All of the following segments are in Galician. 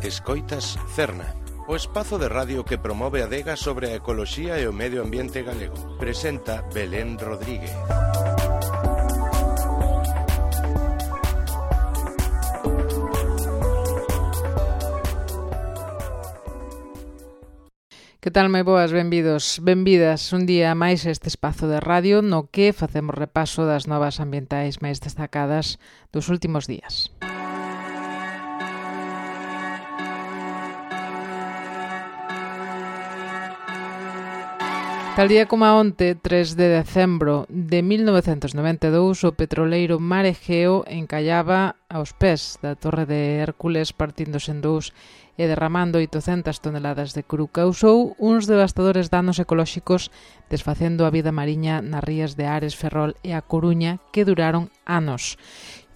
Escoitas Cerna, o espazo de radio que promove a adega sobre a ecoloxía e o medio ambiente galego. Presenta Belén Rodríguez. Que tal, moi boas, benvidos, benvidas un día máis a este espazo de radio no que facemos repaso das novas ambientais máis destacadas dos últimos días. Tal día como onte, 3 de decembro de 1992, o petroleiro Mar Egeo encallaba aos pés da Torre de Hércules, partíndose en dous e derramando 800 toneladas de cru. Causou uns devastadores danos ecolóxicos, desfacendo a vida mariña nas rías de Ares, Ferrol e A Coruña, que duraron anos.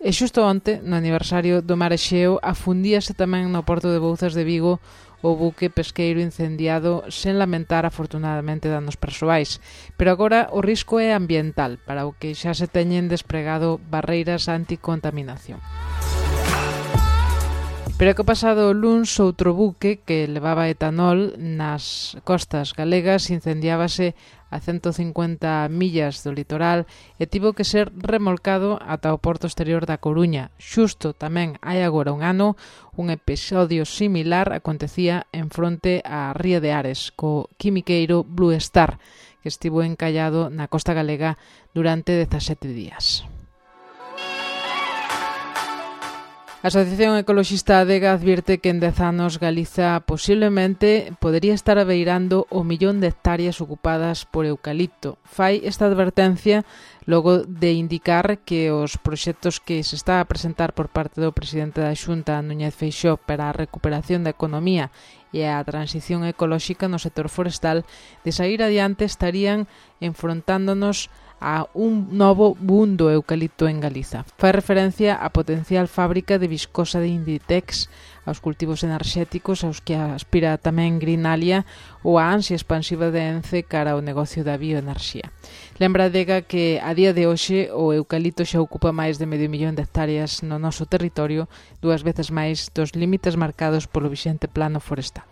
E xusto onte, no aniversario do Mar Egeo, afundíase tamén no porto de Bouzas de Vigo o buque pesqueiro incendiado sen lamentar afortunadamente danos persoais. Pero agora o risco é ambiental, para o que xa se teñen despregado barreiras anticontaminación. Pero que o pasado luns outro buque que levaba etanol nas costas galegas incendiábase a 150 millas do litoral e tivo que ser remolcado ata o porto exterior da Coruña. Xusto tamén hai agora un ano un episodio similar acontecía en fronte á ría de Ares co quimiqueiro Blue Star, que estivo encallado na costa galega durante 17 días. A Asociación Ecoloxista Adega advirte que en 10 anos Galiza posiblemente podería estar abeirando o 1.000.000 de hectáreas ocupadas por eucalipto. Fai esta advertencia logo de indicar que os proxectos que se está a presentar por parte do presidente da Xunta, Núñez Feixóo, para a recuperación da economía e a transición ecolóxica no sector forestal, de saír adiante estarían enfrontándonos a un novo boom do eucalipto en Galiza. Fai referencia á potencial fábrica de viscosa de Inditex, aos cultivos enerxéticos aos que aspira tamén Greenalia ou a ansia expansiva de Ence cara ao negocio da bioenerxía. Lembra Adega que a día de hoxe o eucalipto xa ocupa máis de 500.000 de hectáreas no noso territorio, 2 veces máis dos límites marcados polo vixente plano forestal.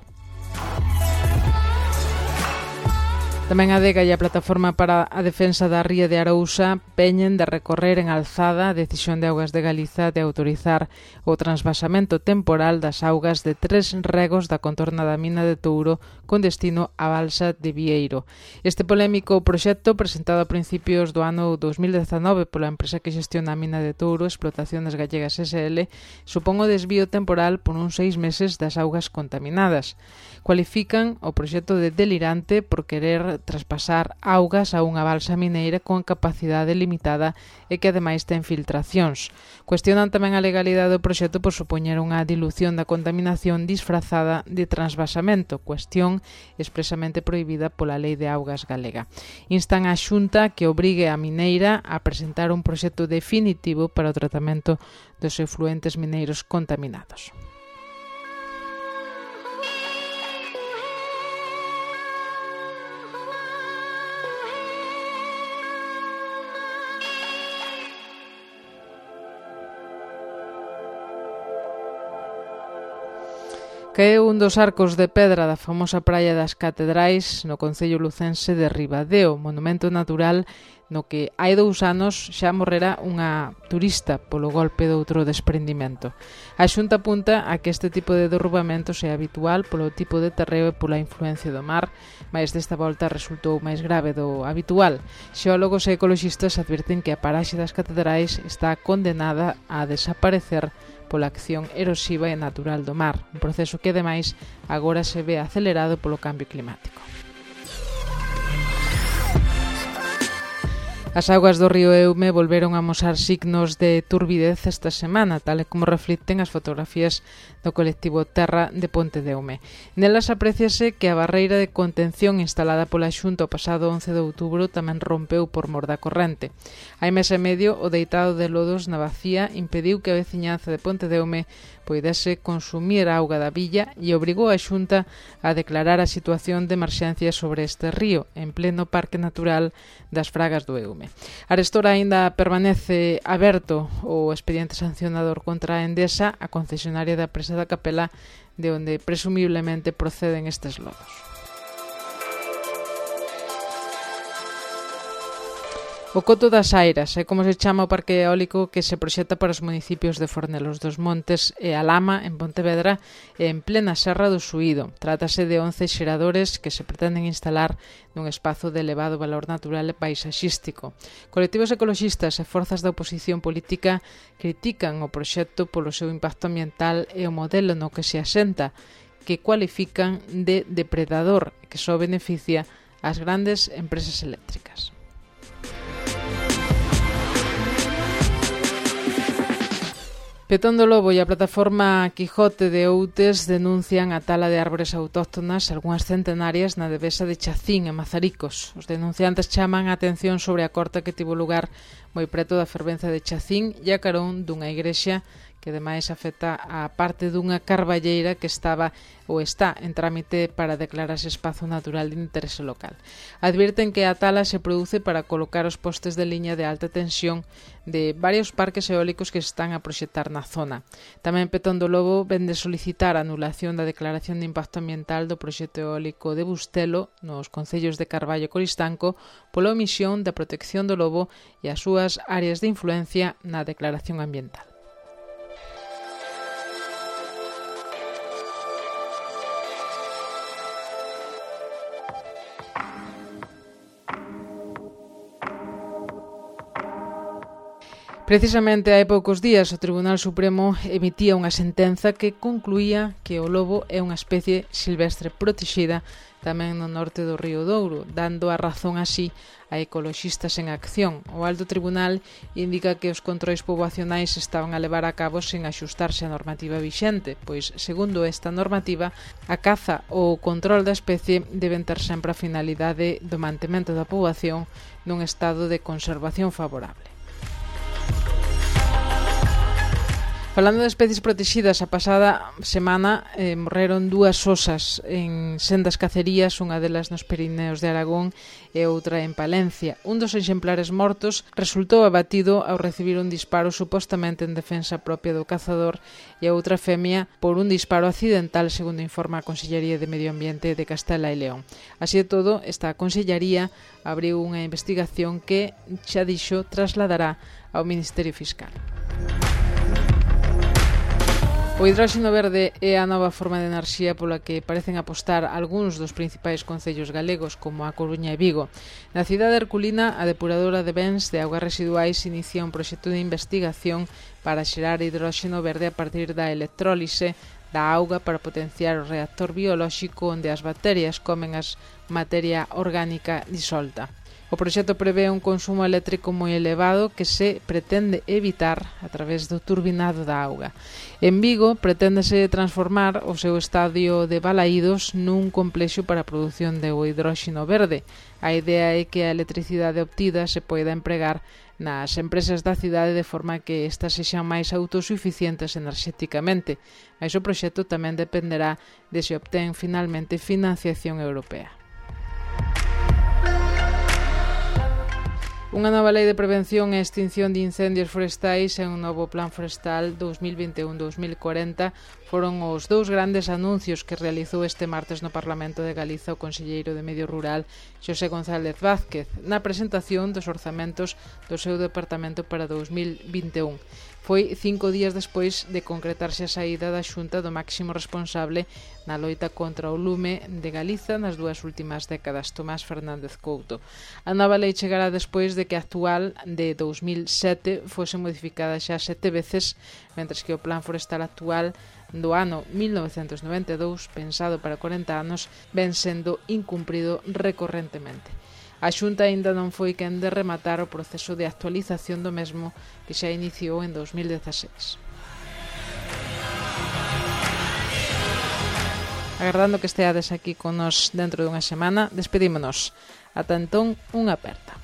Tamén a Adega e a Plataforma para a Defensa da Ría de Arousa peñen de recorrer en alzada a decisión de Augas de Galiza de autorizar o transvasamento temporal das augas de 3 regos da contorna da mina de Touro con destino á balsa de Vieiro. Este polémico proxecto, presentado a principios do ano 2019 pola empresa que xestiona a mina de Touro, Explotaciones Gallegas SL, supón o desvío temporal por uns 6 meses das augas contaminadas. Cualifican o proxecto de delirante por querer traspasar augas a unha balsa mineira con capacidade limitada e que ademais ten filtracións. Cuestionan tamén a legalidade do proxecto por supoñer unha dilución da contaminación disfrazada de transvasamento, cuestión expresamente prohibida pola Lei de Augas galega. Instan á Xunta que obrigue a mineira a presentar un proxecto definitivo para o tratamento dos efluentes mineiros contaminados. Caeu un dos arcos de pedra da famosa praia das Catedrais no concello lucense de Ribadeo, monumento natural no que hai 2 anos xa morrera unha turista polo golpe de outro desprendimento. A Xunta apunta a que este tipo de derrubamentos é habitual polo tipo de terreo e pola influencia do mar, mas desta volta resultou máis grave do habitual. Xeólogos e ecoloxistas advirten que a paraxe das Catedrais está condenada a desaparecer pola acción erosiva e natural do mar, un proceso que, ademais, agora se ve acelerado polo cambio climático. As augas do río Eume volveron a amosar signos de turbidez esta semana, tal e como reflicten as fotografías do colectivo Terra de Ponte de Eume. Nelas apréciase que a barreira de contención instalada pola Xunta o pasado 11 de outubro tamén rompeu por mor da corrente. Hai mes e medio, o deitado de lodos na bacía impediu que a veciñanza de Ponte de Eume poidese consumir a auga da villa e obrigou a Xunta a declarar a situación de emerxencia sobre este río, en pleno Parque Natural das Fragas do Eume. Lume. Arestora aínda permanece aberto o expediente sancionador contra a Endesa, a concesionaria da presa da Capela, de onde presumiblemente proceden estes lodos. O Coto das Airas é como se chama o parque eólico que se proxecta para os municipios de Fornelos dos Montes e Alama, en Pontevedra, e en plena Serra do Suído. Trátase de 11 xeradores que se pretenden instalar nun espazo de elevado valor natural e paisaxístico. Colectivos ecoloxistas e forzas da oposición política critican o proxecto polo seu impacto ambiental e o modelo no que se asenta, que cualifican de depredador, que só beneficia ás grandes empresas eléctricas. Petón do Lobo e a plataforma Quijote de Outes denuncian a tala de árbores autóctonas, algunhas centenarias, na devesa de Chacín, en Mazaricos. Os denunciantes chaman a atención sobre a corta que tivo lugar moi preto da fervenza de Chacín e a carón dunha igrexa que ademais afecta a parte dunha carballeira que estaba ou está en trámite para declararse espazo natural de interese local. Advirten que a tala se produce para colocar os postes de liña de alta tensión de varios parques eólicos que se están a proxectar na zona. Tamén Petón do Lobo vende solicitar a anulación da declaración de impacto ambiental do proxecto eólico de Bustelo nos concellos de Carballo e Coristanco pola omisión da protección do lobo e as súas áreas de influencia na declaración ambiental. Precisamente hai poucos días o Tribunal Supremo emitía unha sentenza que concluía que o lobo é unha especie silvestre protexida tamén no norte do Río Douro, dando a razón así a ecoloxistas en acción. O Alto Tribunal indica que os controis poboacionais estaban a levar a cabo sen axustarse á normativa vixente, pois, segundo esta normativa, a caza ou o control da especie deben ter sempre a finalidade do mantemento da poboación nun estado de conservación favorable. Falando de especies protegidas, a pasada semana morreron 2 osas en sendas cacerías, unha delas nos Pirineos de Aragón e outra en Palencia. Un dos exemplares mortos resultou abatido ao recibir un disparo supostamente en defensa propia do cazador e a outra femia por un disparo accidental, segundo informa a Consellería de Medio Ambiente de Castela e León. Así de todo, esta Consellería abriu unha investigación que, xa dixo, trasladará ao Ministerio Fiscal. O hidróxeno verde é a nova forma de enerxía pola que parecen apostar algúns dos principais concellos galegos, como a Coruña e Vigo. Na cidade herculina, a depuradora de bens de augas residuais inicia un proxecto de investigación para xerar hidróxeno verde a partir da electrólise da auga para potenciar o reactor biolóxico onde as bacterias comen as materia orgánica disolta. O proxecto prevé un consumo eléctrico moi elevado que se pretende evitar a través do turbinado da auga. En Vigo preténdese transformar o seu estadio de Balaídos nun complexo para a produción de hidróxeno verde. A idea é que a electricidade obtida se poida empregar nas empresas da cidade de forma que estas sexan máis autosuficientes enerxéticamente. Mais o proxecto tamén dependerá de se obtén finalmente financiación europea. Unha nova lei de prevención e extinción de incendios forestais e un novo plan forestal 2021-2040 foron os 2 grandes anuncios que realizou este martes no Parlamento de Galiza o conselleiro de Medio Rural Xosé González Vázquez na presentación dos orzamentos do seu departamento para 2021. Foi 5 días despois de concretarse a saída da Xunta do máximo responsable na loita contra o lume de Galiza nas 2 últimas décadas, Tomás Fernández Couto. A nova lei chegará despois de que a actual de 2007 fose modificada xa 7 veces, mentres que o plan forestal actual do ano 1992, pensado para 40 anos, ven sendo incumprido recorrentemente. A Xunta aínda non foi quen de rematar o proceso de actualización do mesmo que xa iniciou en 2016. Agardando que esteades aquí con nos dentro dunha semana, despedímonos. Ata entón, unha aperta.